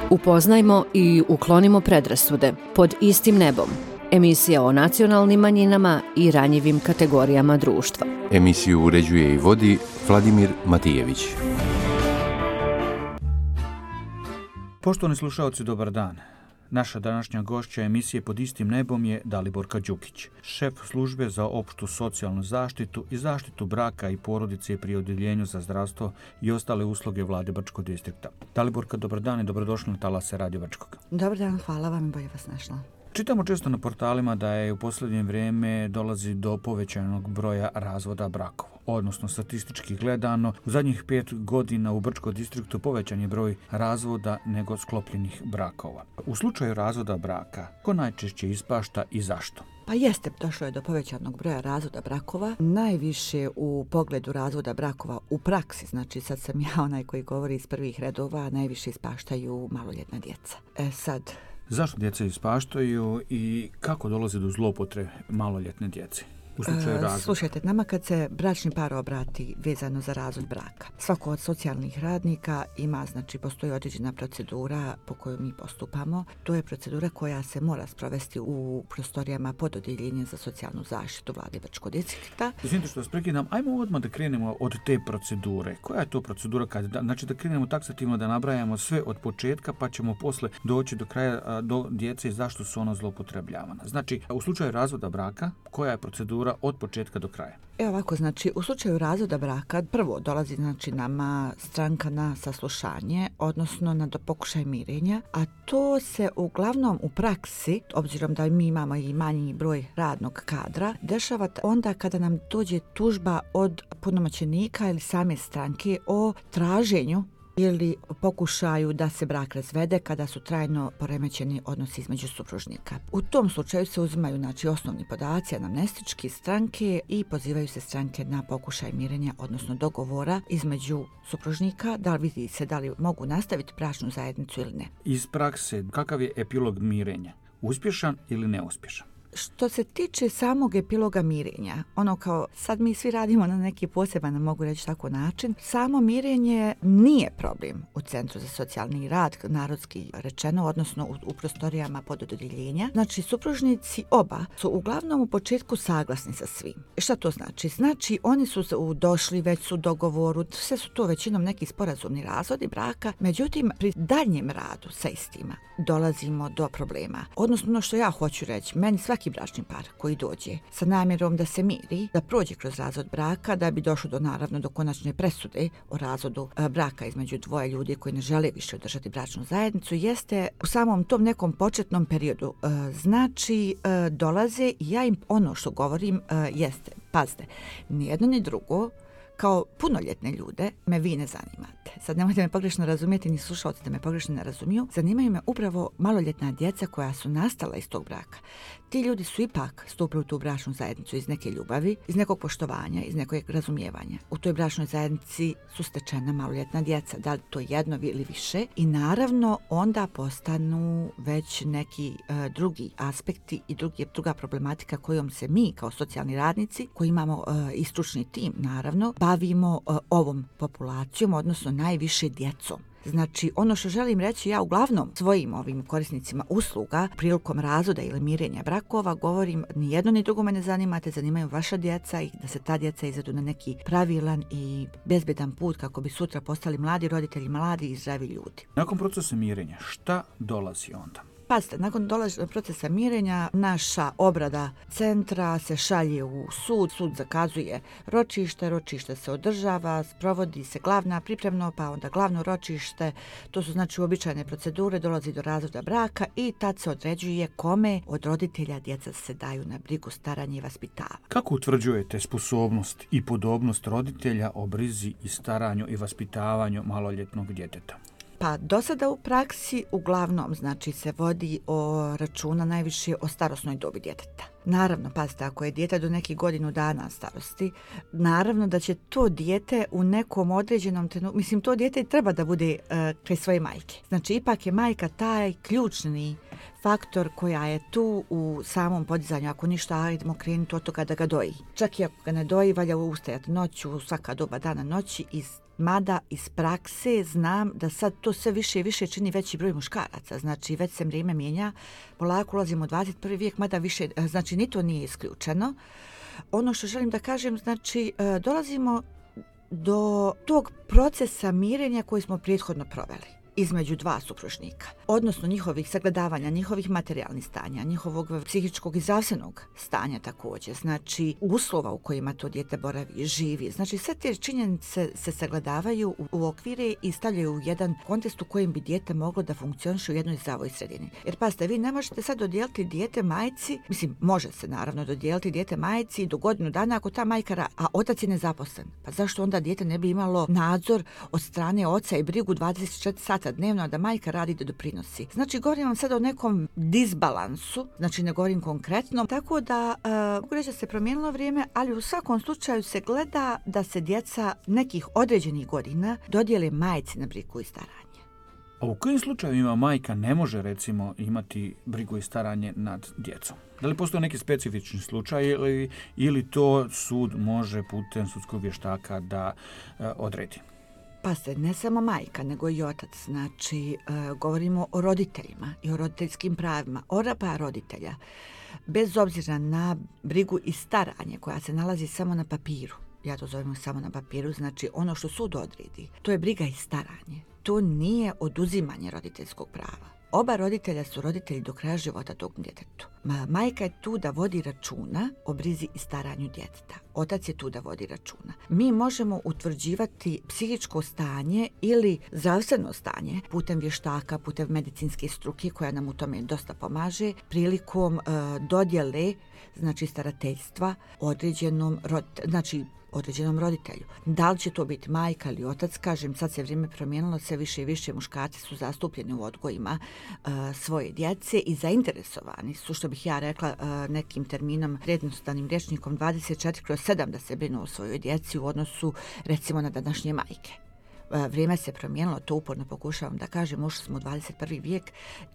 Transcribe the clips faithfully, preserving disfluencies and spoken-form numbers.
Upoznajmo i uklonimo predrasude pod istim nebom. Emisija o nacionalnim manjinama i ranjivim kategorijama društva. Emisiju uređuje i vodi Vladimir Matijević. Poštovani slušalci, dobar dan. Naša današnja gošća emisije Pod istim nebom je Daliborka Đukić, šef službe za opštu socijalnu zaštitu i zaštitu braka i porodice pri Odjeljenju za zdravstvo i ostale usluge Vlade Brčkog distrikta. Daliborka, dobar dan i dobrodošli na talase Radio Brčkog. Dobar dan, hvala vam i bolje vas našla. Čitamo često na portalima da je u posljednje vrijeme dolazi do povećanog broja razvoda brakova. Odnosno, statistički gledano, u zadnjih pet godina u Brčkom distriktu povećan je broj razvoda nego sklopljenih brakova. U slučaju razvoda braka, ko najčešće ispašta i zašto? Pa jeste, došlo je do povećanog broja razvoda brakova. Najviše u pogledu razvoda brakova u praksi, znači sad sam ja onaj koji govori iz prvih redova, najviše ispaštaju maloljetna djeca. E sad... Zašto djeca ispaštaju i kako dolazi do zloupotrebe maloljetne djece? U slučaju razvoda. Slušajte, nama kad se bračni par obrati vezano za razvod braka, svako od socijalnih radnika ima, znači postoji određena procedura po kojoj mi postupamo. To je procedura koja se mora sprovesti u prostorijama pod Odjeljenjem za socijalnu zaštitu Vlade Brčkog distrikta. Izvinite što vas prekidam, ajmo odmah da krenemo od te procedure. Koja je to procedura? Kad, znači da krenemo taksativno da nabrajamo sve od početka, pa ćemo posle doći do kraja do djece i zašto su ona zloupotrebljavana. Znači, u slučaju razvoda braka, koja je procedura od početka do kraja? Evo ovako, znači u slučaju razvoda braka prvo dolazi znači nama stranka na saslušanje, odnosno na pokušaj mirenja, a to se uglavnom u praksi, obzirom da mi imamo i manji broj radnog kadra, dešava onda kada nam dođe tužba od punomoćenika ili same stranke o traženju ili pokušaju da se brak razvede kada su trajno poremećeni odnosi između supružnika. U tom slučaju se uzimaju znači, osnovni podaci anamnestički stranke i pozivaju se stranke na pokušaj mirenja, odnosno dogovora između supružnika, da li vidi se da li mogu nastaviti bračnu zajednicu ili ne. Iz prakse, kakav je epilog mirenja? Uspješan ili neuspješan? Što se tiče samog epiloga mirenja, ono kao sad mi svi radimo na neki poseban, mogu reći tako način, samo mirenje nije problem u Centru za socijalni rad, narodski rečeno, odnosno u, u prostorijama pod Odjeljenja. Znači, supružnici oba su uglavnom u početku saglasni sa svim. Šta to znači? Znači, oni su došli već su u dogovoru, sve su to većinom neki sporazumni razvodi braka, međutim, pri daljem radu sa istima dolazimo do problema. Odnosno, ono što ja hoću reći, meni svaki bračni par koji dođe sa namjerom da se miri, da prođe kroz razvod braka, da bi došlo do naravno do konačne presude o razvodu braka između dvoje ljudi koji ne žele više održati bračnu zajednicu, jeste u samom tom nekom početnom periodu. Znači, dolaze i ja im ono što govorim jeste, pazite, ni jedno ni drugo, kao punoljetne ljude me vi ne zanimate. Sad nemojte me pogrešno razumjeti, ni slušalci da me pogrešno ne razumiju. Zanimaju me upravo maloljetna djeca koja su nastala iz tog braka. Ti ljudi su ipak stupili u tu bračnu zajednicu iz neke ljubavi, iz nekog poštovanja, iz nekog razumijevanja. U toj bračnoj zajednici su stečena maloljetna djeca, da li to jedno ili više. I naravno onda postanu već neki uh, drugi aspekti i drugi, druga problematika kojom se mi kao socijalni radnici, koji imamo uh, i stručni tim naravno, bavimo uh, ovom populacijom, odnosno najviše djecom. Znači, ono što želim reći, ja uglavnom svojim ovim korisnicima usluga prilikom razvoda ili mirenja brakova govorim ni jedno ni drugo me ne zanimate, zanimaju vaša djeca i da se ta djeca izvedu na neki pravilan i bezbedan put kako bi sutra postali mladi roditelji, mladi i zdravi ljudi. Nakon procesa mirenja, šta dolazi onda? Pazite, nakon dolaženja procesa mirenja, naša obrada centra se šalje u sud, sud zakazuje ročište, ročište se održava, sprovodi se glavna pripremno, pa onda glavno ročište, to su znači uobičajene procedure, dolazi do razvoda braka i tad se određuje kome od roditelja djeca se daju na brigu, staranje i vaspitavanje. Kako utvrđujete sposobnost i podobnost roditelja o brizi i staranju i vaspitavanju maloljetnog djeteta? Pa do sada u praksi uglavnom znači se vodi o računa najviše o starosnoj dobi djeteta. Naravno, pazite, ako je dijete do nekih godinu dana starosti, naravno da će to dijete u nekom određenom trenutku, mislim, to dijete treba da bude uh, kraj svoje majke. Znači, ipak je majka taj ključni faktor koja je tu u samom podizanju. Ako ništa, ajdemo krenuti od toga da ga doji. Čak i ako ga ne doji, valja ustajati noću, svaka doba dana noći i Mada iz prakse znam da sad to sve više i više čini veći broj muškaraca. Znači već se vrijeme mijenja, polako ulazimo u dvadeset prvi vijek, mada više, znači ni to nije isključeno. Ono što želim da kažem, znači dolazimo do tog procesa mirenja koji smo prethodno proveli između dva supružnika, odnosno njihovih sagledavanja, njihovih materijalnih stanja, njihovog psihičkog i zdravstvenog stanja također, znači uslova u kojima to dijete boravi, živi. Znači sve te činjenice se sagledavaju u, u okvire i stavljaju u jedan kontekst u kojem bi dijete moglo da funkcioniše u jednoj zdravoj sredini. Jer pazite, vi ne možete sad dodijeliti dijete majci, mislim, može se naravno dodijeliti dijete majci do godinu dana ako ta majka, ra- a otac je nezaposlen. Pa zašto onda dijete ne bi imalo nadzor od strane oca i brigu dvadeset četiri sata dnevno, da majka radi da doprinosi. Znači, govorim vam sad o nekom disbalansu, znači ne govorim konkretno, tako da uh, mogu reći da se promijenilo vrijeme, ali u svakom slučaju se gleda da se djeca nekih određenih godina dodijele majci na brigu i staranje. A u kojim slučajevima majka ne može, recimo, imati brigu i staranje nad djecom? Da li postoje neki specifični slučaj ili, ili to sud može putem sudskog vještaka da uh, odredi? Pa se ne samo majka, nego i otac. Znači, e, govorimo o roditeljima i o roditeljskim pravima. Oba roditelja, bez obzira na brigu i staranje koja se nalazi samo na papiru, ja to zovem samo na papiru, znači ono što sud odredi, to je briga i staranje. To nije oduzimanje roditeljskog prava. Oba roditelja su roditelji do kraja života tog djetetu. Ma, majka je tu da vodi računa o brizi i staranju djeteta. Otac je tu da vodi računa. Mi možemo utvrđivati psihičko stanje ili zdravstveno stanje putem vještaka, putem medicinske struke koja nam u tome dosta pomaže prilikom e, dodjele, znači starateljstva određenom roditelju, znači određenom roditelju. Da li će to biti majka ili otac, kažem, sad se vrijeme promijenilo, sve više i više muškarci su zastupljeni u odgojima uh, svoje djece i zainteresovani su, što bih ja rekla uh, nekim terminom, jednostavnim rječnikom dvadeset četiri kroz sedam da se brinu o svojoj djeci u odnosu, recimo, na današnje majke. Vrijeme se promijenilo, to uporno pokušavam da kažem, ušli smo u dvadeset prvi vijek,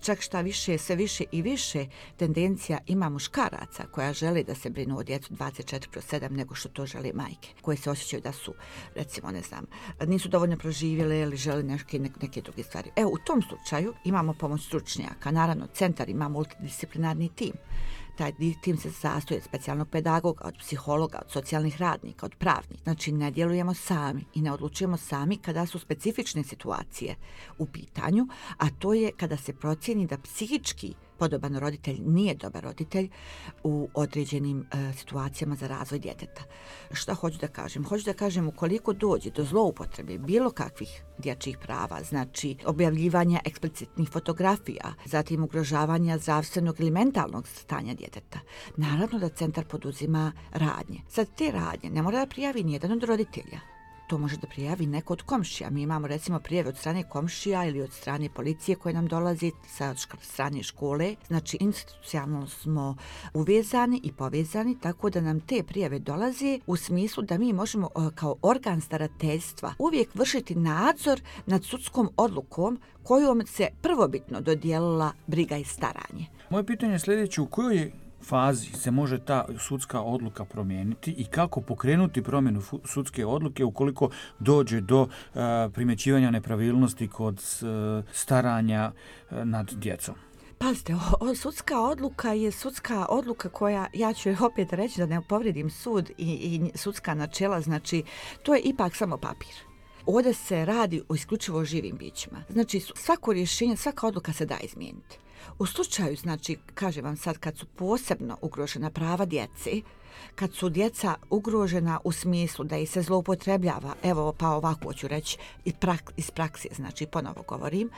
čak šta više, sve više i više tendencija ima muškaraca koja žele da se brinu o djecu dvadeset četiri kroz sedam nego što to žele majke, koje se osjećaju da su, recimo, ne znam, nisu dovoljno proživjele ili žele neke, neke druge stvari. Evo, u tom slučaju imamo pomoć stručnjaka, naravno centar ima multidisciplinarni tim. Taj tim se sastoji od specijalnog pedagoga, od psihologa, od socijalnih radnika, od pravnika. Znači, ne djelujemo sami i ne odlučujemo sami kada su specifične situacije u pitanju, a to je kada se procijeni da psihički podoban roditelj nije dobar roditelj u određenim e, situacijama za razvoj djeteta. Šta hoću da kažem? Hoću da kažem, ukoliko dođe do zloupotrebe bilo kakvih dječjih prava, znači objavljivanja eksplicitnih fotografija, zatim ugrožavanja zdravstvenog ili mentalnog stanja djeteta, naravno da centar poduzima radnje. Sad te radnje ne mora da prijavi nijedan od roditelja. To može da prijavi neko od komšija. Mi imamo, recimo, prijave od strane komšija ili od strane policije koje nam dolazi sa strane škole. Znači, institucionalno smo uvezani i povezani, tako da nam te prijave dolaze u smislu da mi možemo kao organ starateljstva uvijek vršiti nadzor nad sudskom odlukom kojom se prvobitno dodijelila briga i staranje. Moje pitanje je sljedeće, u kojoj fazi se može ta sudska odluka promijeniti i kako pokrenuti promjenu sudske odluke ukoliko dođe do uh, primjećivanja nepravilnosti kod uh, staranja uh, nad djecom? Pazite, o, o, sudska odluka je sudska odluka koja, ja ću opet reći da ne povredim sud i, i sudska načela, znači to je ipak samo papir. Ovdje se radi o isključivo živim bićima. Znači svako rješenje, svaka odluka se da izmijeniti. U slučaju, znači, kažem vam sad, kad su posebno ugrožena prava djece, kad su djeca ugrožena u smislu da ih se zloupotrebljava, evo pa ovako ću reći iz prakse, znači ponovo govorim,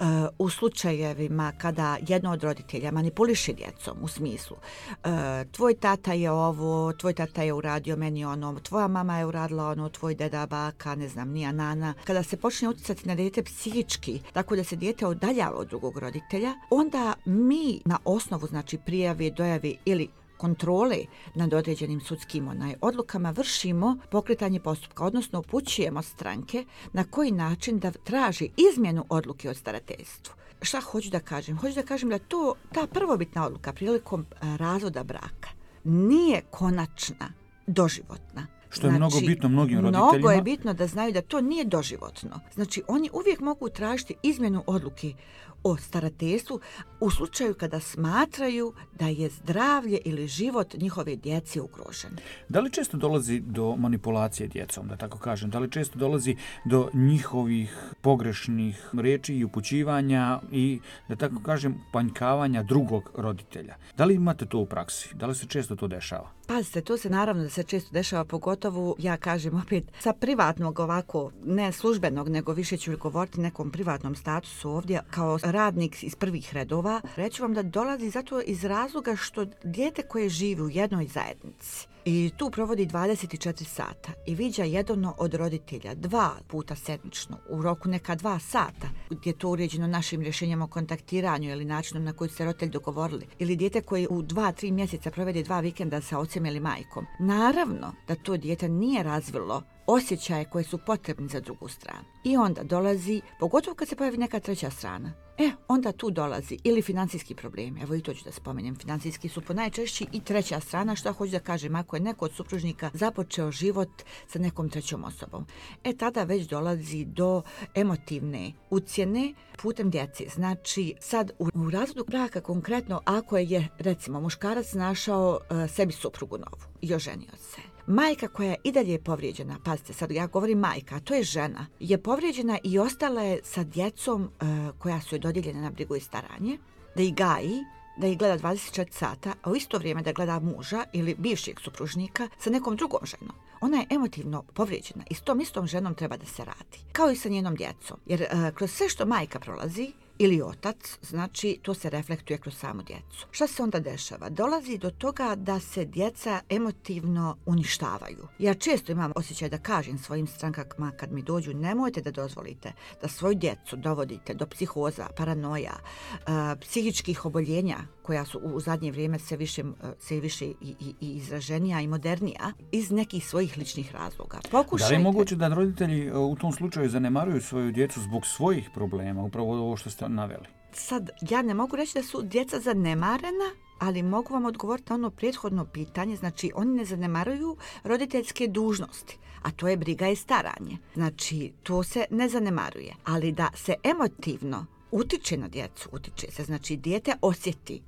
uh, u slučajevima kada jedno od roditelja manipuliše djecom u smislu uh, tvoj tata je ovo, tvoj tata je uradio meni ono, tvoja mama je uradila ono, tvoj deda, baka, ne znam, nija nana, kada se počne utjecati na dijete psihički, tako da se dijete odaljava od drugog roditelja, onda mi na osnovu, znači, prijave, dojave ili kontrole nad određenim sudskim onaj odlukama vršimo pokretanje postupka, odnosno upućujemo stranke na koji način da traži izmjenu odluke o starateljstvu. Šta hoću da kažem? Hoću da kažem da to, ta prvobitna odluka prilikom razvoda braka nije konačna, doživotna. Što je znači, mnogo bitno mnogim roditeljima. Mnogo je bitno da znaju da to nije doživotno. Znači, oni uvijek mogu tražiti izmjenu odluke o starateljstvu u slučaju kada smatraju da je zdravlje ili život njihove djece ugrožen. Da li često dolazi do manipulacije djecom, da tako kažem? Da li često dolazi do njihovih pogrešnih riječi i upućivanja i, da tako kažem, panjkavanja drugog roditelja? Da li imate to u praksi? Da li se često to dešava? Pazite, to se naravno da se često dešava, pogotovo, ja kažem opet, sa privatnog ovako, ne službenog, nego više ću govoriti nekom privatnom statusu ovdje, kao radnik iz prvih redova. Reću vam da dolazi zato iz razloga što dijete koje živi u jednoj zajednici i tu provodi dvadeset četiri sata i viđa jedno od roditelja dva puta sedmično u roku neka dva sata, gdje je to uređeno našim rješenjama o kontaktiranju ili načinom na koji se roditelj dogovorili, ili dijete koje u dva, tri mjeseca provede dva vikenda sa ocem ili majkom. Naravno da to dijete nije razvilo osjećaje koje su potrebni za drugu stranu. I onda dolazi, pogotovo kad se pojavi neka treća strana, e, onda tu dolazi ili financijski problemi. Evo i to ću da spomenem. Financijski su po najčešći i treća strana, što hoću da kažem, ako je neko od supružnika započeo život sa nekom trećom osobom. E, tada već dolazi do emotivne ucjene putem djece. Znači, sad u, u razvodu braka konkretno, ako je, recimo, muškarac našao uh, sebi suprugu novu i oženio se, majka koja je i dalje je povrijeđena, pazite, sad ja govorim majka, a to je žena, je povrijeđena i ostala je sa djecom uh, koja su joj dodijeljena na brigu i staranje, da ih gaji, da ih gleda dvadeset četiri sata, a u isto vrijeme da gleda muža ili bivšeg supružnika sa nekom drugom ženom. Ona je emotivno povrijeđena i s tom istom ženom treba da se radi. Kao i sa njenom djecom. Jer uh, kroz sve što majka prolazi, ili otac, znači to se reflektuje kroz samu djecu. Šta se onda dešava? Dolazi do toga da se djeca emotivno uništavaju. Ja često imam osjećaj da kažem svojim strankama kad mi dođu, nemojte da dozvolite da svoju djecu dovodite do psihoza, paranoja, uh, psihičkih oboljenja koja su u zadnje vrijeme sve više, sve više i, i, i izraženija i modernija iz nekih svojih ličnih razloga. Pokušajte... Da li je moguće da roditelji u tom slučaju zanemaruju svoju djecu zbog svojih problema, upravo ovo što ste naveli? Sad, ja ne mogu reći da su djeca zanemarena, ali mogu vam odgovoriti na ono prethodno pitanje. Znači, oni ne zanemaruju roditeljske dužnosti, a to je briga i staranje. Znači, to se ne zanemaruje. Ali da se emotivno utiče na djecu, utiče se. Znači, dijete osjeti.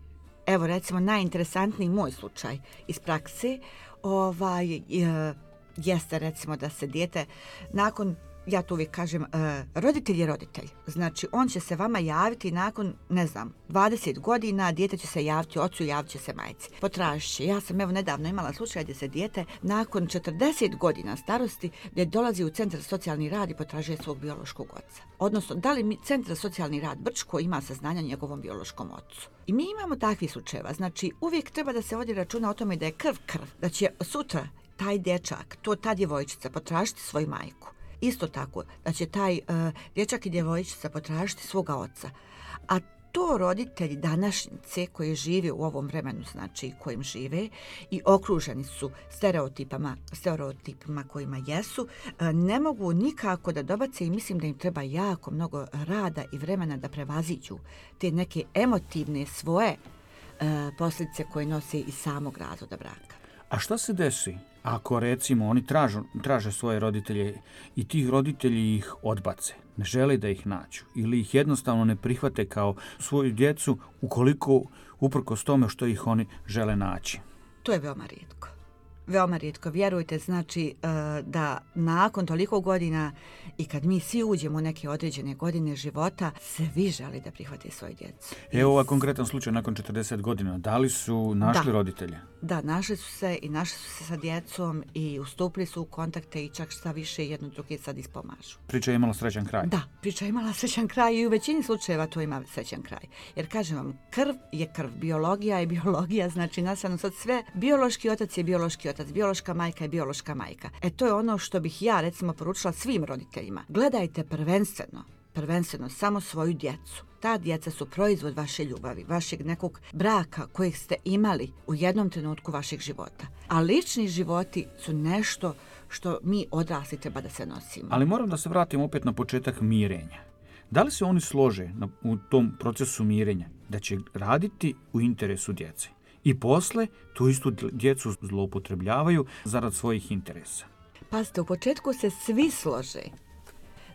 Evo, recimo, najinteresantniji moj slučaj iz prakse ovaj, je, jeste, recimo, da se dijete nakon... Ja to uvijek kažem, uh, roditelj je roditelj. Znači, on će se vama javiti nakon, ne znam, dvadeset godina, dijete će se javiti ocu, javit će se majci. Potražit će. Ja sam evo nedavno imala slučaj gdje se dijete nakon četrdeset godina starosti gdje dolazi u centar za socijalni rad i potražuje svog biološkog oca. Odnosno, da li mi centar za socijalni rad Brčko ima saznanja o njegovom biološkom ocu. I mi imamo takvih slučajeva. Znači, uvijek treba da se vodi računa o tome da je krv krv, da će sutra taj dječak, to ta djevojčica potražiti svoju majku. Isto tako, da će taj uh, dječak i djevojčica potražiti svoga oca. A to roditelji današnjice koji žive u ovom vremenu, znači kojim žive i okruženi su stereotipama, stereotipima kojima jesu, uh, ne mogu nikako da dobace i mislim da im treba jako mnogo rada i vremena da prevaziđu te neke emotivne svoje uh, posljedice koje nose iz samog razvoda braka. A šta se desi ako, recimo, oni tražu, traže svoje roditelje i tih roditelji ih odbace, ne žele da ih nađu ili ih jednostavno ne prihvate kao svoju djecu ukoliko uprkos tome što ih oni žele naći? To je veoma rijetko. Veoma rijetko. Vjerujte, znači da nakon toliko godina i kad mi svi uđemo u neke određene godine života, se vi želi da prihvate svoje djecu. Evo ovaj konkretan slučaj nakon četrdeset godina. Da li su našli da. roditelje? Da, našli su se i našli su se sa djecom i ustupili su u kontakte i čak šta više jedno druge sad ispomažu. Priča je imala srećan kraj? Da, priča je imala srećan kraj i u većini slučajeva to ima srećan kraj. Jer kažem vam, krv je krv, biologija je biologija, znači nastavno sad sve, biološki otac je biološki otac, biološka majka je biološka majka. E to je ono što bih ja recimo poručila svim roditeljima. Gledajte prvenstveno, prvenstveno samo svoju djecu. Ta djeca su proizvod vaše ljubavi, vašeg nekog braka kojeg ste imali u jednom trenutku vašeg života. A lični životi su nešto što mi odrasli treba da se nosimo. Ali moram da se vratim opet na početak mirenja. Da li se oni slože na, u tom procesu mirenja da će raditi u interesu djece? I posle tu istu djecu zloupotrebljavaju zarad svojih interesa. Pazite, u početku se svi slože.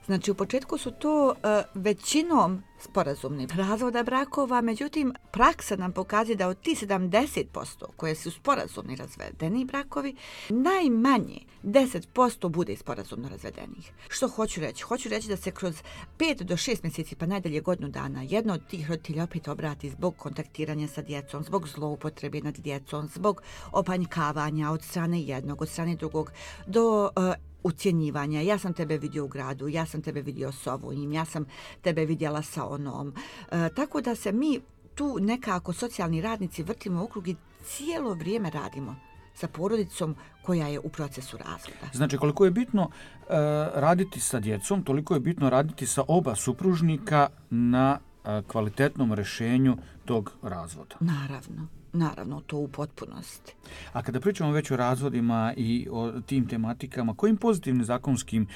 Znači, u početku su to uh, većinom sporazumni razvoda brakova, međutim, praksa nam pokazuje da od tih sedamdeset posto koje su sporazumni razvedeni brakovi, najmanje deset posto bude sporazumno razvedenih. Što hoću reći? Hoću reći da se kroz pet do šest mjeseci, pa najdalje godinu dana, jedno od tih roditelja opet obrati zbog kontaktiranja sa djecom, zbog zloupotrebe nad djecom, zbog opanjkavanja od strane jednog, od strane drugog, do uh, ucjenjivanja. Ja sam tebe vidio u gradu, ja sam tebe vidio s ovim, ja sam tebe vidjela sa onom. E, tako da se mi tu nekako socijalni radnici vrtimo u krug i cijelo vrijeme radimo sa porodicom koja je u procesu razvoda. Znači, koliko je bitno e, raditi sa djecom, toliko je bitno raditi sa oba supružnika na e, kvalitetnom rješenju tog razvoda. Naravno. Naravno, to u potpunosti. A kada pričamo već o razvodima i o tim tematikama, kojim pozitivnim zakonskim e,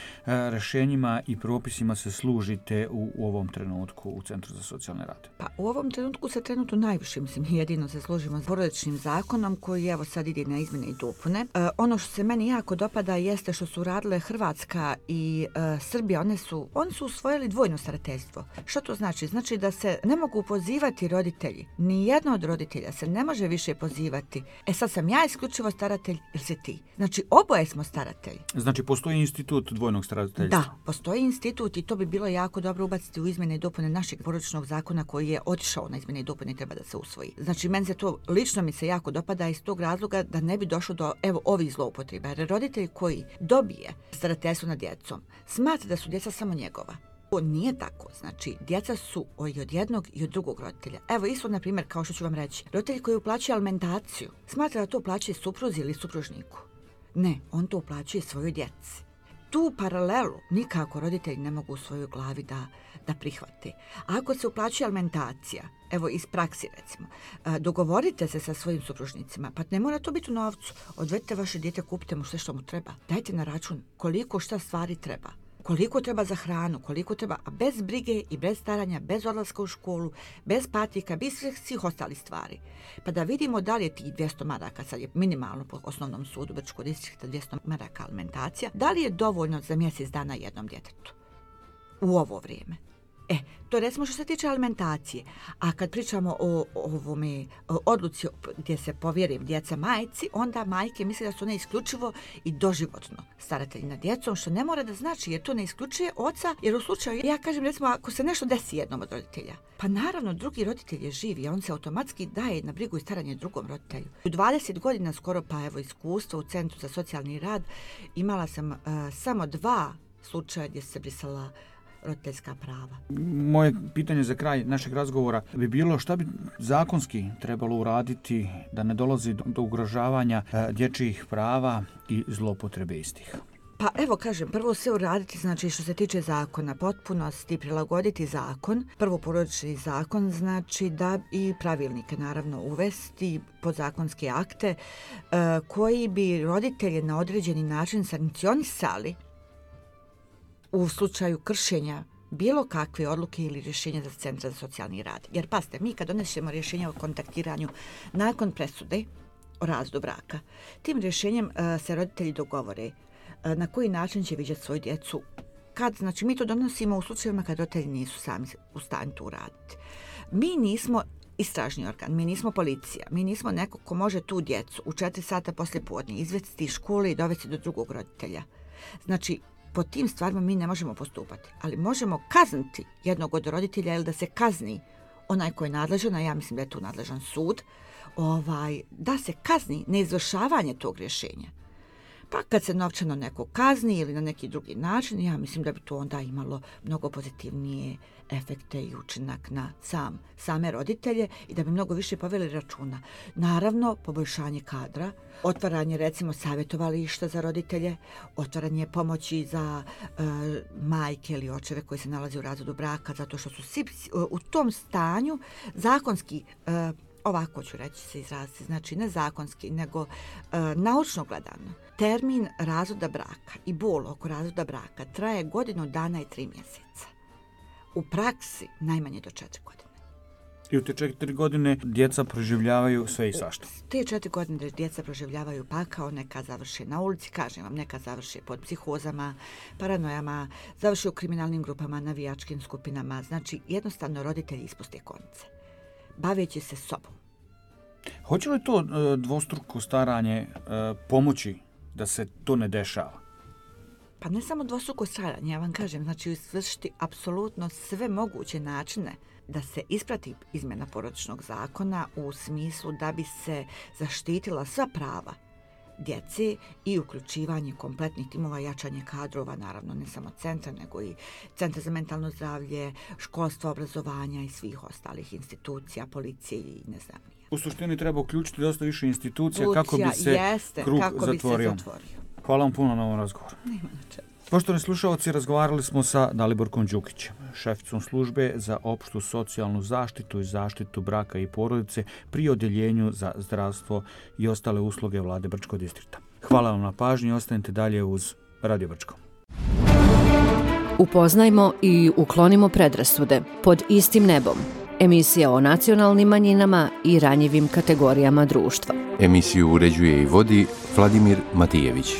rješenjima i propisima se služite u, u ovom trenutku u Centru za socijalni rad? Pa u ovom trenutku se trenutno najviše, mislim, jedino se služimo s porodičnim zakonom koji evo sad ide na izmjene i dopune. E, ono što se meni jako dopada jeste što su radile Hrvatska i e, Srbija, one su, oni su usvojili dvojno starateljstvo. Što to znači? Znači da se ne mogu pozivati roditelji, ni jedno od roditelja se ne može više pozivati. E sad sam ja isključivo staratelj ili si ti. Znači oboje smo staratelji. Znači postoji institut dvojnog starateljstva? Da, postoji institut i to bi bilo jako dobro ubaciti u izmjene i dopune našeg porodičnog zakona koji je otišao na izmjene i dopune i treba da se usvoji. Znači meni se to, lično mi se jako dopada iz tog razloga da ne bi došlo do evo ovih zloupotreba. Jer roditelj koji dobije starateljstvo nad djecom smatra da su djeca samo njegova. To nije tako. Znači, djeca su i od jednog i od drugog roditelja. Evo, isto, na primjer, kao što ću vam reći, roditelj koji uplaćuje alimentaciju, smatra da to uplaćuje supruzi ili supružniku. Ne, on to uplaćuje svojoj djeci. Tu paralelu nikako roditelji ne mogu u svojoj glavi da, da prihvate. Ako se uplaćuje alimentacija, evo iz praksi recimo, dogovorite se sa svojim supružnicima, pa ne mora to biti u novcu. Odvedite vaše dijete, kupite mu sve što mu treba. Dajte na račun koliko šta stvari treba. Koliko treba za hranu, koliko treba, a bez brige i bez staranja, bez odlaska u školu, bez patika, bez svih ostalih stvari. Pa da vidimo da li je tih dvjesto maraka, sad je minimalno po osnovnom sudu Brčkog distrikta dvjesto maraka alimentacija, da li je dovoljno za mjesec dana jednom djetetu u ovo vrijeme. E, to recimo što se tiče alimentacije. A kad pričamo o, o ovome o odluci gdje se povjeri djeca majci, onda majke misle da su one isključivo i doživotno staratelji nad djecom, što ne mora da znači jer to ne isključuje oca, jer u slučaju, ja kažem recimo, ako se nešto desi jednom od roditelja, pa naravno drugi roditelj je živ i on se automatski daje na brigu i staranje drugom roditelju. U dvadeset godina skoro, pa evo iskustva u Centru za socijalni rad, imala sam uh, samo dva slučaja gdje se brisala roditeljska prava. Moje pitanje za kraj našeg razgovora bi bilo šta bi zakonski trebalo uraditi da ne dolazi do, do ugrožavanja e, dječjih prava i zloupotrebe istih. Pa evo kažem, prvo sve uraditi, znači što se tiče zakona, potpunosti prilagoditi zakon, prvo porodični zakon, znači da i pravilnike naravno uvesti, podzakonske akte e, koji bi roditelje na određeni način sankcionisali u slučaju kršenja bilo kakve odluke ili rješenja za Centra za socijalni rad. Jer pazite, mi kad donesemo rješenje o kontaktiranju nakon presude o razvodu braka, tim rješenjem uh, se roditelji dogovore uh, na koji način će viđati svoju djecu. Kad, znači, mi to donosimo u slučajevima kad roditelji nisu sami u stanju to uraditi. Mi nismo istražni organ, mi nismo policija, mi nismo neko ko može tu djecu u četiri sata poslije podne izvesti iz škole i dovesti do drugog roditelja. Znači, po tim stvarima mi ne možemo postupati, ali možemo kazniti jednog od roditelja ili da se kazni onaj koji je nadležan, a ja mislim da je tu nadležan sud, ovaj, da se kazni neizvršavanje tog rješenja. Pa kad se novčano neko kazni ili na neki drugi način, ja mislim da bi to onda imalo mnogo pozitivnije efekte i učinak na sam, same roditelje i da bi mnogo više poveli računa. Naravno, poboljšanje kadra, otvaranje recimo savjetovališta za roditelje, otvaranje pomoći za e, majke ili očeve koji se nalaze u razvodu braka, zato što su svi u tom stanju zakonski, e, ovako ću reći se izraziti, znači ne zakonski, nego e, naučno gledano. Termin razvoda braka i bol oko razvoda braka traje godinu dana i tri mjeseca. U praksi najmanje do četiri godine. I u te četiri godine djeca proživljavaju sve i svašta. Te četiri godine djeca proživljavaju pakao, neka završe na ulici, kažem vam, neka završe pod psihozama, paranojama, završe u kriminalnim grupama, navijačkim skupinama. Znači, jednostavno roditelji ispuste konce, baveći se sobom. Hoće li to e, dvostruko staranje e, pomoći da se to ne dešava? Pa ne samo dvostruko staranje, ja vam kažem, znači izvršiti apsolutno sve moguće načine da se isprati izmjena porodičnog zakona u smislu da bi se zaštitila sva prava djece i uključivanje kompletnih timova, jačanje kadrova, naravno ne samo centra, nego i centra za mentalno zdravlje, školstva, obrazovanja i svih ostalih institucija, policije i ne znam nije. U suštini treba uključiti dosta više institucija Lucija, kako bi se jeste, krug kako zatvorio. Bi se zatvorio. Hvala vam puno na ovom razgovoru. Nema na čemu. Poštovani slušalci, razgovarali smo sa Daliborkom Đukićem, šeficom službe za opštu socijalnu zaštitu i zaštitu braka i porodice pri odjeljenju za zdravstvo i ostale usluge vlade Brčkog distrikta. Hvala vam na pažnji i ostanite dalje uz Radio Brčko. Upoznajmo i uklonimo predrasude pod istim nebom. Emisija o nacionalnim manjinama i ranjivim kategorijama društva. Emisiju uređuje i vodi Vladimir Matijević.